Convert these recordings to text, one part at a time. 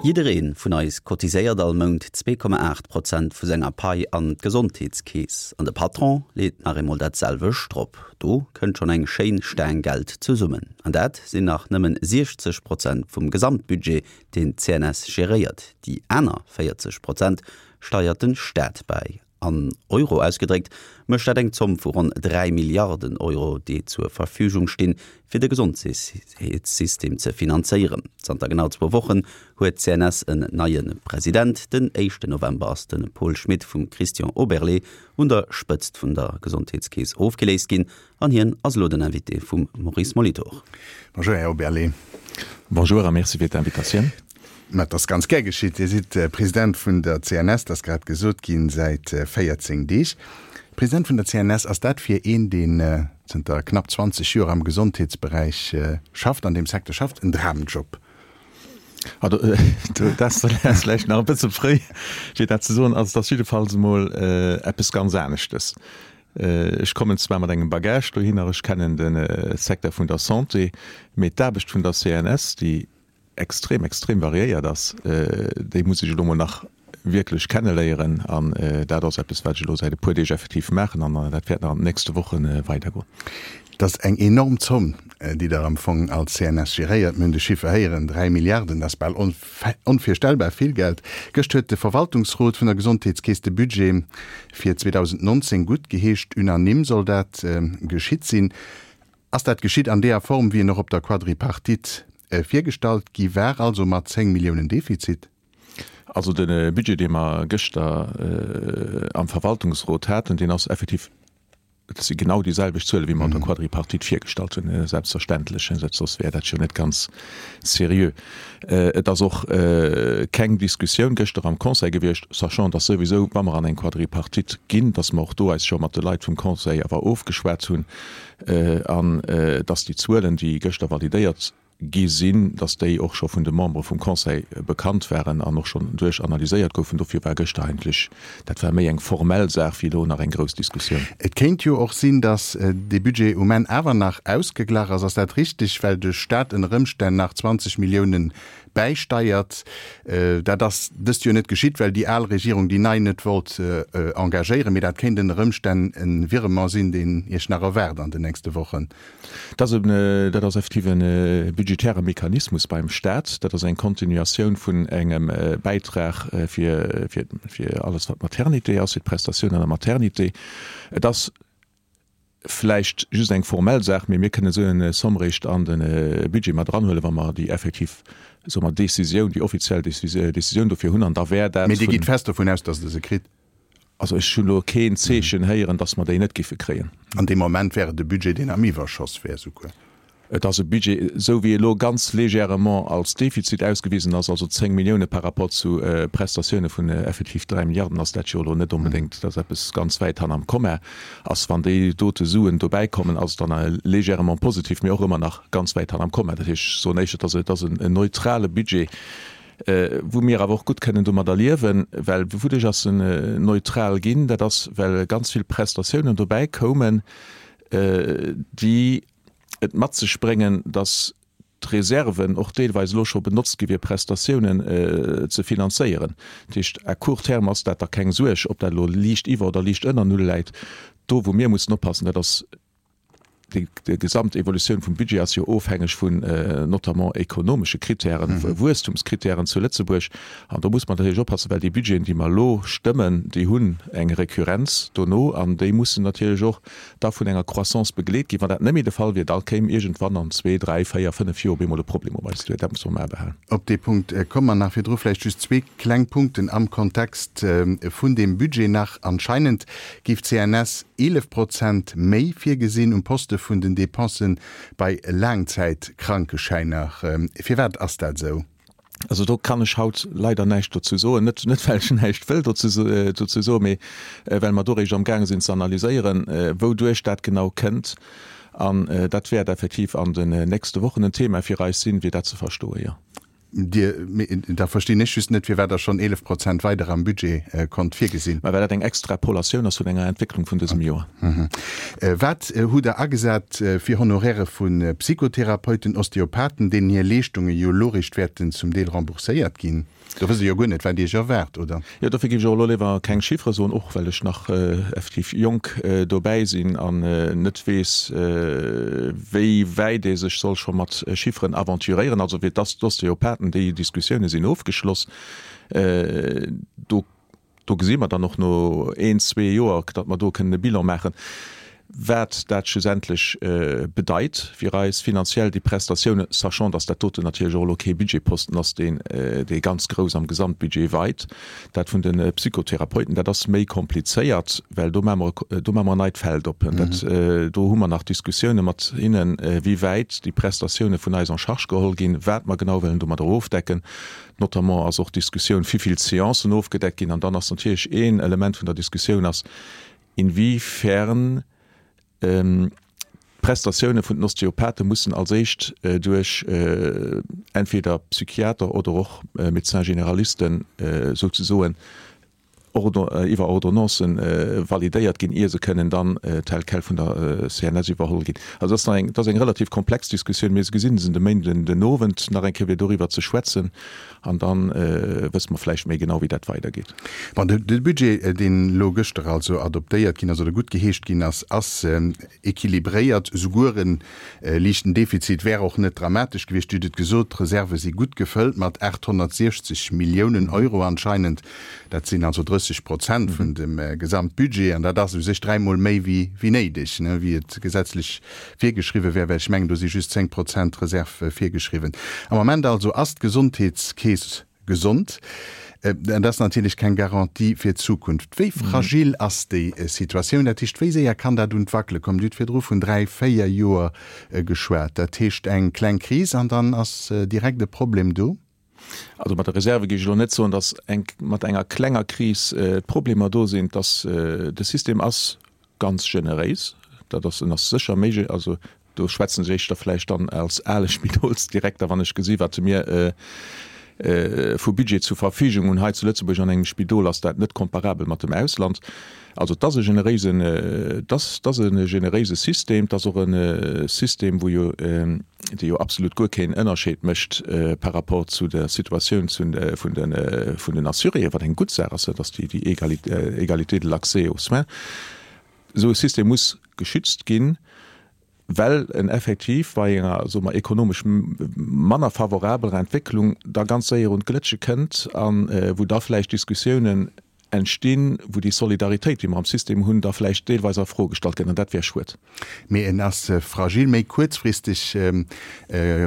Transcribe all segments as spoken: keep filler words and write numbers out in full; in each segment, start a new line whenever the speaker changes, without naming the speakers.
Jidderee vun eis cotiséiert all Mount zwee Komma aacht Prozent vu senger Pai an d'Gesondheetskeess. An de Patron leet nach eemol dat selwecht drop. Do kënnt schonn eng schéin Staang Geld zesummen. An dat sinn nach nëmmen siechzeg Prozent vum Gesamtbudget, deen d'CNS geréiert. Déi aner véierzeg Prozent steiert den Staat bäi. An Euro ausgedréckt mécht dat eng Zomm vu ronn dräi Milliarden Euro, déi zur Verfügung stinn, fir de Gesondheetssystem ze finanzéieren. Zanter genau zwou Wochen huet d'CNS en neie President. Den éischten November ass de Paul Schmit vum Christian Oberlé un der Spëtzt vun der Gesondheetskeess ofgeléist ginn an hien ass elo den Invité vum Maurice Molitor.
Bonjour Här Oberlé.
Bonjour a merci fir d'Invitatioun.
Mä et ass ganz gär geschitt. Dir sidd President vun der C N S, dat ass grad gesot ginn, säit véierzéng Deeg. President vun der C N S, ass dat fir een, deen zënter knapp zwanzeg Joer am Gesondheetsberäich schafft, an deem Secteur schafft, en Dramjob?
Dat ass vläicht nach e bësse fréi, fir dat ze soen. Also et ass jiddefalls emol eppes ganz aneschtes. Ech kommen zwar mat engem Bagage dohinner, ech kennen de Secteur vun der Santé, mee d'Aarbecht vun der C N S, déi extrem, extrem variéiert ass, déi muss ech elo mol nach wierklech kenneléieren. An dat ass eppes, wat ech elo säit e puer Deeg effektiv maachen an dat wäert nach an den nächste Woche weidergoen.
Dat ass eng enorm Zomm, déi Der am Fong als C N S geréiert. Mir hunn de Chiffer héieren, dräi Milliarden, dat ass bal onvirstellbar vill Geld. Gëscht huet de Verwaltungsrot vun der Gesondheetskeess de Budget fir zweedausendnonzéng guttgeheescht. Unanime soll dat geschitt sinn. Ass dat geschitt an deeër Form, wéi en och op der Quadripartite virgestallt gi war, also mat zéng Milliounen Defizit?
Also de Budget, dee mer gëschter am Verwaltungsrot haten, deen ass effektiv, dat si genau déi selwecht Zuele wéi mer an der Quadripartite virgestallt hunn, selbstverständlech, soss wär dat jo net ganz seriö. Et ass och keng Diskussioun gëschter am Conseil gewiescht, sachant dass souwisou, wa mer an eng Quadripartite ginn, dass mer och do eis scho mat de Leit vum Conseil awer ofgeschwat hunn an dass déi Zuelen, déi gëschter validéiert gi sinn, dass déi och scho vun de Membere vum Conseil bekannt waren an och schonn duerchanalyséiert goufen. Dofir war gëschter eigentlech, dat war méi eng formell Saach wéi elo nach eng grouss Diskussioun.
Et kéint jo och sinn, dass dee Budget um Enn awer nach ausgeglach ass. Ass dat richtig, well de Staat ënner Ëmstänn nach zwanzeg Milliounen bäisteiert? Dat ass dëst Joer net geschitt, well déi al Regierung déi nei net wollt engagéieren. Mee dat kéint ënner Ëmstänn e Virement sinn, deen Iech nach erwaart an den nächste Wochen.
Dat ass effektiv e budgetäre Mechanismus beim Staat. Dat ass eng Continuatioun vun engem Bäitrag fir alles, wat Maternité ass, fir d'Prestatioun an der Maternité. Et ass vläicht just eng formell Saach, mee mir kënnen esou eng Somme réischt an de Budget mat eranhuelen, wa mer déi effektiv, soe mer, Décisioun, déi offiziell Décisioun dofir hunn. An da wär dat
Mee Dir gitt fest dovun aus, datt Der se kritt?
Also ech hunn elo keen Zeechen héieren, datt mer déi net géife kréien.
An dee Moment wär et e Budget, deen am Iwwerschoss wär souguer.
Et ass e Budget, esou wéi e lo ganz légèrement als Defizit ausgewisen ass, also zéng Millioune par rapport zu Prestatioune vun effektiv dräi Milliarden, ass dat jo elo net onbedéngt, datt eppes ganz wäit hanner am Komma ass. Wann déi dote Suen dobäi kommen, ass et dann légèrement positif, mee och ëmmer nach ganz wäit hanner am Komma. Dat heescht, ech soen éischter, datt et ass en neutrale Budget, wou mir awer och gutt kënnen domadder liewen, well wouduerch ass en neutral ginn? Dat ass, well ganz vill Prestatiounen dobäi koumen, déi et mat sech bréngen, datt d'Reserven och deelweis elo scho benotzt gi fir Prestatiounen ze finanzéieren. Dat heescht, à court terme ass dat da keng Suerg, ob dat elo liicht iwwer oder liicht ënner Null läit. Do wou mir mussen oppassen, dat ass, Déi gesamt Evolutioun vum Budget ass jo ofhängeg vun notamment ekonomesche Kritären, Wuesstumskritären zu Lëtzebuerg. An do muss mer natierlech oppassen, well déi Budgeten, déi mer elo stëmmen, déi hunn eng Recurrenz dono an déi mussen natierlech och da vun enger Croissance begleet ginn. Wann dat net méi de Fall wier, da kéim iergendwann an zwee, dräi, véier, fënnef Joer op eemol e Problem op eis duer. Dat musse mer am A behalen.
Op dee Punkt komme mer nach. Virdru vläicht just zwee kleng Punkten am Kontext vun deem Budget nach. Anscheinend géif d'C N S eelef Prozent méi virgesinn um Poste vun den Depensen bei Laangzäitkrankeschäiner. Firwat ass dat esou?
Also do kann ech haut leider näischt dozou soen. Net, net well ech näischt wëll dozou soen, mee well mer do réischt amgaange sinn ze analyséieren, wouduerch dat genau kënnt. An dat wäert effektiv an den nächste Wochen en Thema fir eis sinn, fir dat ze verstoen, jo.
Dir, da verstinn ech just net, firwat Der schonn eelef Prozent weider am Budget konnt virgesinn.
Mä well dat eng Extrapolatioun ass vun enger Entwécklung vun dësem Joer.
Wat hutt Der agesat fir Honoraire vu Psychotherapeuten, Osteopathen, deenen hir Leeschtunge jo elo réischt wäerten zum Deel rembourséiert ginn? Do wësst Der jo guer net, wat Iech erwaart, oder?
Jo, dofir géif ech och elo léiwer keng Chiffere soen, och well ech nach effektiv jonk dobäi sinn an net weess, wéi wäit ee sech soll scho mat Chifferen aventuréieren. Also fir d'Osteopathen, déi Diskussioune sinn ofgeschloss. Do Do gesi mer dann och no een, zwee Joer, datt mer do kënnen e Bilan maachen, wat dat schlussendlech bedeit fir eis finanziell, déi Prestatiounen, sachant datt dat doten natierlech och elo kee Budgetposten ass, deen, dee ganz grouss am Gesamtbudget weit. Dat vun de Psychotherapeuten, dat ass méi komplizéiert, well do maache mer, do maache mer en neit Feld op. Dat, do hu mer nach Diskussiounen mat hinnen, wéi wäit déi Prestatiounen vun eis en charge geholl ginn, wat mer genau wëllen domadder ofdecken. Notamment ass och d'Diskussioun, wivill Seancen ofgedeckt ginn. An dann ass natierlech een Element vun der Diskussioun ass, inwiefern d'Prestatioune vun den Osteopathe mussen als éischt duerch entweder Psychiater oder och Médecins généralisten souzesoen iwwer Ordonnancen validéiert ginn, ier se kënnen dann tel quel vun der C N S iwwerholl ginn. Also dat ass nach eng, dat ass eng relativ komplex Diskussioun. Mir gesinn se de Méinden den Owend nach eng Kéier fir doriwwer ze schwätzen an da wësse mer vläicht méi genau, wéi dat weidergeet.
Bon, de Budget, deen elo gëschter also adoptéiert ginn ass oder guttgeheescht ginn ass, ass équilibréiert. Souguer e liichten Defizit wär och net dramatesch gewiescht. Dir hutt et gesot, d'Reserve si gutt gefëllt mat aathonnertsiechzeg Milliounen Euro anscheinend. Dat sinn also drësseg Prozent vun dem Gesamtbudget, an dat ass u sech dräimol méi wéi néideg, wéi et gesetzlech virgeschriwwen wär, well ech mengen, do si just zéng Prozent Reserve virgeschriwwen. Am Moment also ass d'Gesondheetskeess gesond. Dat ass natierlech keng Garantie fir d'Zukunft. Wéi fragil ass déi Situatioun? Dat heescht, wéi séier kann dat un d'Wackele kommen? Dir hutt virdru vun dräi, véier Joer geschwat. Dat heescht, eng kleng Kris an dann ass direkt e Problem do?
Also mat der Reserve géif ech elo net soen, datt eng, mat enger klenger Kris d'Problemer do sinn. Dass de System ass ganz generéis, dat ass, en ass sécher méi, also do schwätzen ech éischter vläicht dann als ale Spidolsdirekter, wann ech gesi wat mir vu Budget zur Verfügung hunn hei zu Lëtzebuerg an engem Spidol, ass dat net komparabel mat dem Ausland. Also et ass e generéisen, et ass, et ass e generéise System, et ass och e System, wou jo, dee jo absolut guer keen Ënnerscheed mécht par rapport zu der Situatioun zu, vun de, vun den Assuréen, wat eng gutt Saach ass, dat ass déi, déi Égalité de l'accès aux soins. Esou e System muss geschützt ginn, well en effektiv bei enger, soe mer, ekonomesch manner favorabeler Entwécklung da ganz séier un d'Glëtsche kënnt a wou da vläicht Diskussiounen entstinn, wou déi Solidaritéit, déi mer am System hunn, da vläicht deelweis a Fro gestallt gëtt, an dat wär schued.
Mee en ass fragil, méi kuerzfristeg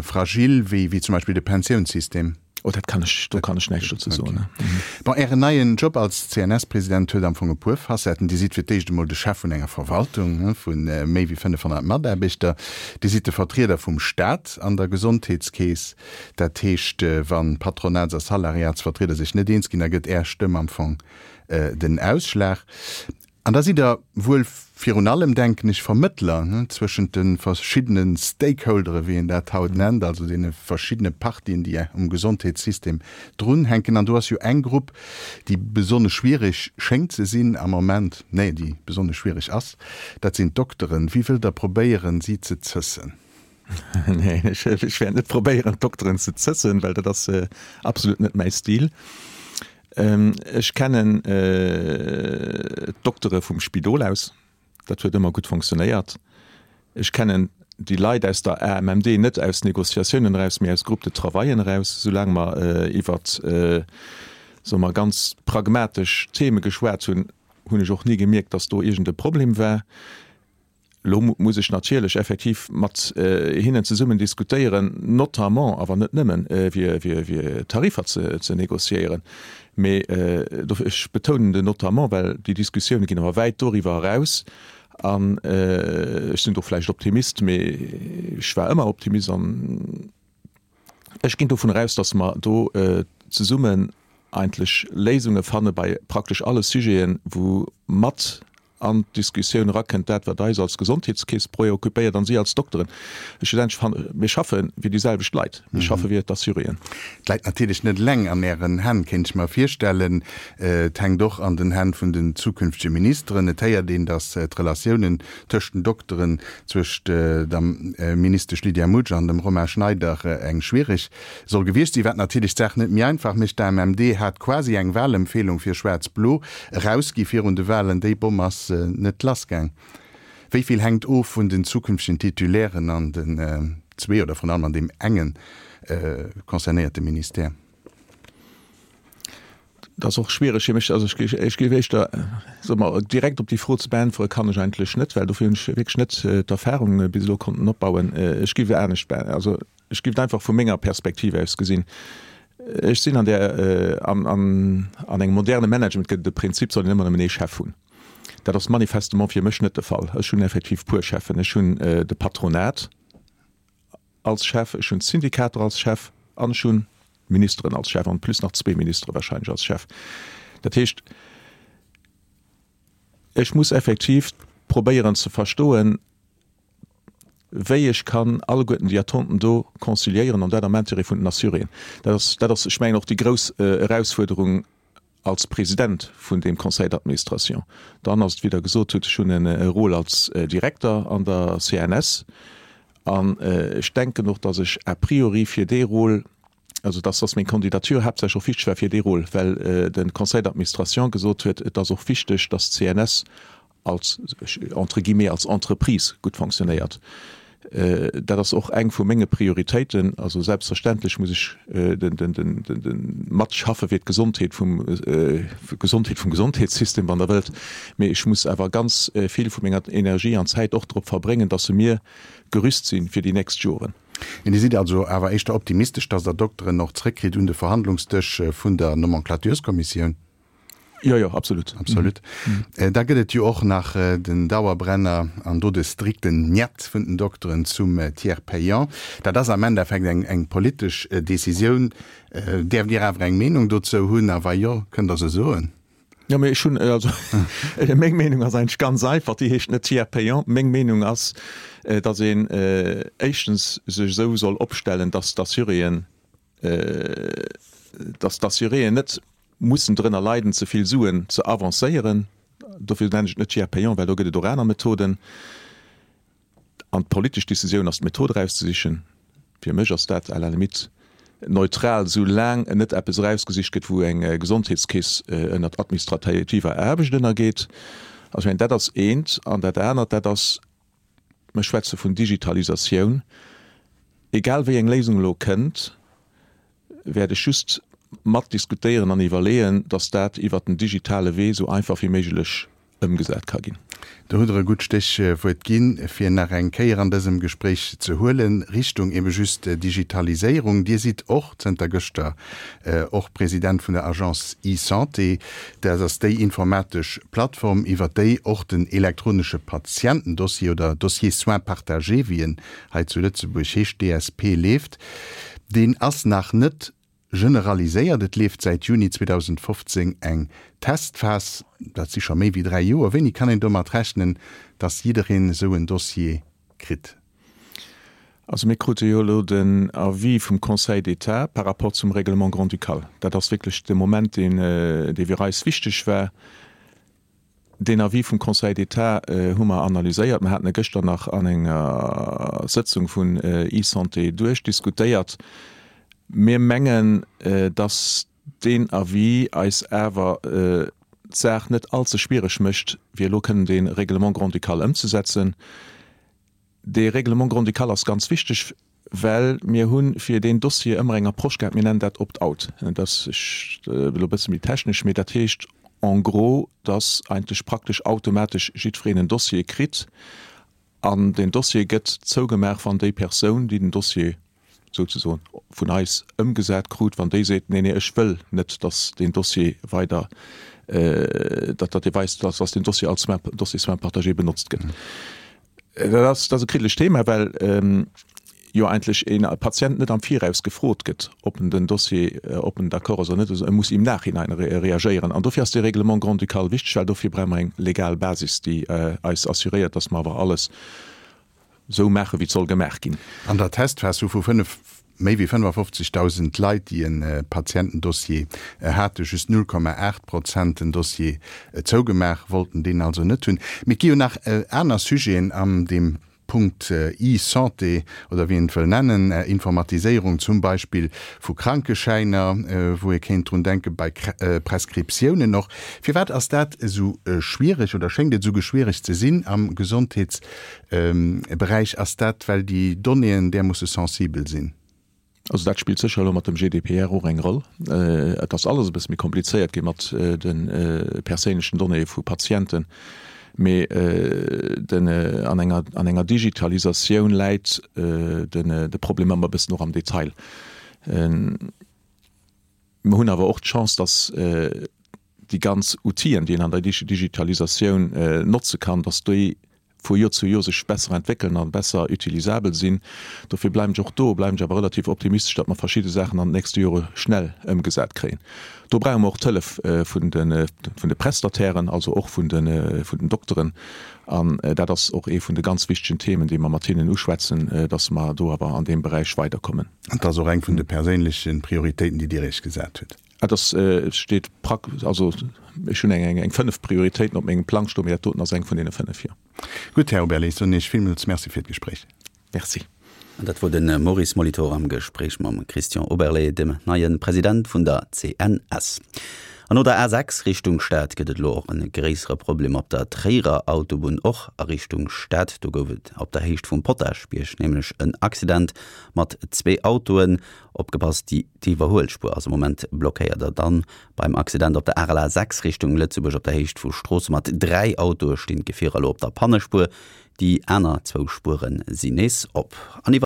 fragil wéi zum Beispill de Pensiounssystem.
Oh, dat kann ech, do kann ech näischt dozou soen.
Bon, Ären neien Job als C N S-President huet am Fong e puer Facetten. Dir sidd fir d'éischt emol de Chef vun enger Verwaltung vu méi wéi fënnefhonnert Mataarbechter. Dir sidd de Vertrieder vum Staat an der Gesondheetskeess. Dat heescht, wa Patronats a Salariatsvertrieder sech net eens ginn, da gëtt Är Stëmm am Fong den Ausschlag. An da sidd Der wuel virun allem, denken ech, Vermëttler zwëschent de verschiddene Stakeholdere, wéi een dat haut nennt, also deene verschiddene Partien, déi um Gesondheetssystem drunhänken. An do ass jo eng Grupp, déi besonnesch schwierig schéngt ze sinn am Moment, nee, déi besonnesch schwierig ass, dat sinn d'Dokteren. Wéi wëllt Der probéieren, si ze zëssen?
Nee, ech, ech wäert net probéieren, d'Dokteren ze zëssen, well dat ass absolut net mäi Stil. Ech kennen d'Doktere vum Spidol aus, dat huet ëmmer gutt fonctionnéiert. Ech kennen déi Leit aus der A M M D net aus Négociatiounen eraus, mee aus Groupes de travaillen eraus. Soulaang mer iwwer, soe mer, ganz pragmatesch Theme geschwat hunn, hunn ech och ni gemierkt, datt do iergend e Problem war. Lo muss ech natierlech effektiv mat hinnen zesummen diskutéieren, notamment, awer net nëmmen, fir, fir, fir Tariffer ze, ze négociéieren. Mee dofir, ech betounen den notamment, well déi Diskussioune ginn awer wäit doriwwer eraus. An ech sinn do vläicht Optimist, mee ech war ëmmer Optimist an ech ginn dovun eraus, datt mer do zesummen eigentlech Léisunge fanne bei praktesch alle Sujeten, wou mat an d'Diskussioun erakënnt, dat wat eis als Gesondheetskeess preoccupéiert an si als Dokteren. Schlussendlech fannen, mir schaffe fir déi selwecht Leit, mir schaffe fir d'Assuréen.
Et läit natierlech net eleng an Ären Hänn, kéint ech mer virstellen. Et hänkt och an den Hänn vun den zukünftege Ministeren. Et héiert een, datt d'Relatiounen tëscht den Dokteren, zwëscht der Ministesch Lydia Mutsch an dem Romain Schneider eng schwiereg soll gewiescht sinn, wat natierlech d'Saach net méi einfach mécht. D'AMMD hat quasi eng Wahlempfehlung fir Schwaarz-Blo erausgi virun de Wahlen. Déi Bomm ass net lassgaang. Wéi vill hänkt of vun den zukünftegen Titulairen an den zwee oder vrun allem an deem enge concernéierte Ministère?
Dat ass och schwiereg fir mech. Also ech, ech géif éischter, soe mer, direkt op déi Fro ze beäntwere kann ech eigentlech net, well dofir hunn ech wierklech net d'Erfahrung bis elo konnten opbauen. Ech géif anescht beä-, also ech géif et einfach vu menger Perspektiv aus gesinn. Ech sinn an där, an, an, an engem moderne Management gëtt et de Prinzip, soll een ëmmer nëmmen ee Chef hunn. Dat ass manifestement fir mech net de Fall. Ech hunn effektiv puer Cheffen. Ech hunn de Patronat als Chef, ech hunn d'Syndikater als Chef an ech hunn d'Ministeren als Chef, en plus nach zwee Ministere wahrscheinlech als Chef. Dat heescht, ech muss effektiv probéieren ze verstoen, wéi ech kann alleguerten déi Attenten do conciliéieren, an dat am Intérêt vun den Assuréen. Dat ass, dat ass, ech mengen, och déi grouss Erausfuerderung als President vun deem Conseil d'administration. Dann ass et, wéi Der gesot hutt, ech hunn e Rôle als Direkter an der C N S an ech denken och, datt ech a priori fir dee Rôle, also datt, datt meng Candidature haaptsächlech och wichteg war fir dee Rôle, well de Conseil d'administration gesot huet, et ass och wichteg, datt d'C N S als, entre guillemets, als Entreprise gutt fonctionnéiert. Dat ass och eng vu menge Prioritéiten. Also selbstverständlech muss ech den, den, den, den, den matschaffe fir d'Gesondheet vum, d'Gesondheet vum Gesondheetssystem, wann Der wëllt. Mee ech muss awer ganz vill vu menger Energie an Zäit och drop verbréngen, dass se mir gerüst sinn fir déi nächst Joren.
Dir sidd also awer éischter optimistesch, dass Der Dokteren och zréckkritt un de Verhandlungsdësch vun der Nomenclatureskommissioun?
Jo, jo, absolut.
Absolut. Da gëtt et jo och nach den Dauerbrenner an do de strikten Njet vun den Dokteren zum Tiers payant. Dat ass am Endeffekt eng, eng politesch Decisioun. Däerft Dir awer eng Meenung dozou hunn? A wa jo, kënnt Der se soen?
Jo, mee ech hunn, also meng Meenung ass eigentlech ganz einfach, déi heescht net Tiers payant. Meng Meenung ass, datt een éischtens sech esou soll opstellen, datt d'Assuréen, datt d'Assuréen net mussen drënner leiden, ze vill Suen ze avancéieren. Dofir nennen ech et net Tiers payant, well do gëtt et och aner Methoden. An d'politesch Decisioun ass, d'Method erauszesichen. Fir mech ass dat à la limite neutral, soulaang net eppes erausgesicht gëtt, wou eng Gesondheetskeess ënnert administrativer Aarbecht ënnergeet. Also ech mengen, dat ass eent. An dat anert, dat ass, mir schwätze vun Digitalisatioun. Egal wéi eng Léisung elo kënnt, wäert ech just mat diskutéieren an iwwerleeën, dass dat iwwert den digitale Wee esou einfach wéi méiglech ëmgesat ka ginn.
Do hutt Der e gutt Stéchwuert ginn, fir nach eng Kéier an dësem Gespréich ze huelen, Richtung ebe just Digitaliséierung. Dir sidd och zënter gëschter och President vun der Agence eSanté. Dat ass déi informatesch Plattform, iwwert déi och den elektronesche Patientendossier oder Dossier soins partagés, wéi en hei zu Lëtzebuerg heescht, D S P, leeft. Deen ass nach net generaliséiert. Et leeft säit Juni zweedausendfofzéng eng Testphas, dat si scho méi wéi dräi Joer. Wéini kann een domat rechnen, datt jiddereen esou en Dossier kritt?
Also mir krute jo elo den Avis vum Conseil d'État par rapport zum Règlement grand-ducal. Dat ass wierklech de Moment, deen, dee fir eis wichteg war. Den Avis vum Conseil d'État hu mer analyséiert. Mir haten e gëschter nach an enger Sëtzung vun eSanté duerchdiskutéiert. Mir mengen, dass deen Avis eis awer d'Saach net allze schwiereg mécht, fir elo kënnen de Règlement grand-ducal ëmzesetzen. De Règlement grand-ducal ass ganz wichteg, well mir hunn fir deen Dossier ëmmer eng Approche gehabt, mir nennen dat Opt-out. Dat ass elo e bësse méi technesch, mee dat heescht en gros, dass eigentlech praktesch automatesch jiddwereen en Dossier kritt an den Dossier gëtt zougemaach, wann déi Persoun, déi den Dossier souzesoen vun eis ëmgesat krut, wann déi seet, nee, nee, ech wëll net, dass den Dossier weider, äh, dat, dat weist, dass, dass den Dossier als soins, Dossier soins partagé benotzt gëtt. Dat ass, dat ass e kritischt Thema, well, ähm, jo eigentlech een Patient net am Viraus gefrot gëtt, ob en den Dossier, ob en d'accord ass oder net, e muss im Nachhinein reagéieren. An dofir ass dee Règlement grand-ducal wichteg, well dofir brauche mer eng legal Basis, déi eis assuréiert, dass mer awer alles esou maachen, wéi et soll gemaach ginn.
An der Testphas hu vu fënnef, méi wéi fënnefafofzegdausend Leit, déi e Patientendossier hate, just null Komma aacht Prozent den Dossier zougemaach, wollten deen also net hunn. Mee et gi jo nach aner Sujeten an deem Punkt e-Santé oder wéi een et wëll nennen, Informatiséierung zum Beispill vu Krankeschäiner, wou ee kéint drun denken, bei Prescriptiounen och. Firwat ass dat esou schwiereg oder schéngt et esou schwiereg ze sinn am Gesondheetsberäich? Ass dat, well déi Donnéeën därmoosse sensibel sinn?
Also dat spillt sécher elo mat dem G D P R och eng Roll. Et ass alles e bësse méi komplizéiert gi mat de perséinlechen Donnéeë vu Patienten. Mee den, an enger, an enger Digitalisatioun läit den, de Problem ëmmer e bëssen och am Detail. Mer hunn awer och d'Chance, dass déi ganz Outiller, déi een an der Digitalisatioun notze kann, dass déi vu Joer zu Joer sech besser entwéckelen a besser utilisabel sinn. Dofir bleiwen ech och do, bleiwen ech awer relativ optimistesch, datt mer verschidde Saachen an den nächste Jore schnell ëmgesat kréien. Do brauche mer och d'Hëllef vun de, vun de Prestatairen, also och vun de, vun den Dokteren. An dat ass och ee vun de ganz wichtegen Themen, déi mer mat hinnen uschwätzen, datt mer do awer an deem Beräich weiderkommen.
An et ass och eng vun de perséinleche Prioritéiten, déi Dir Iech gesat hutt.
Et ass, et steet prak-, also ech hunn eng, eng fënnef Prioritéiten op mengem Plang stoen, mee dat doten ass eng vun deene fënnef, jo.
Gutt, Här Oberlé, ech soen Iech villmools Merci fir d'Gespréich.
Merci.
An dat wor de Maurice Molitor am Gespréich mam Christian Oberlé, dem neie President vun der C N S. An no der A sechs Richtung Stad gëtt et elo och e gréissere Problem op der Tréierer Autobunn, och a Richtung Stad. Do gouf et op der Héicht vum Potaschbierg nämlech en Accident mat zwee Autoen. Opgepasst, déi d'Iwwerhuelspuer ass am Moment blockéiert. A dann beim Accident op der R L A sechs Richtung Lëtzebuerg op der Héicht vu Stroossen mat dräi Autoe stinn d'Gefierer elo op der Pannespuer. Déi aner zwou Spuere sinn nees op. An iwwer.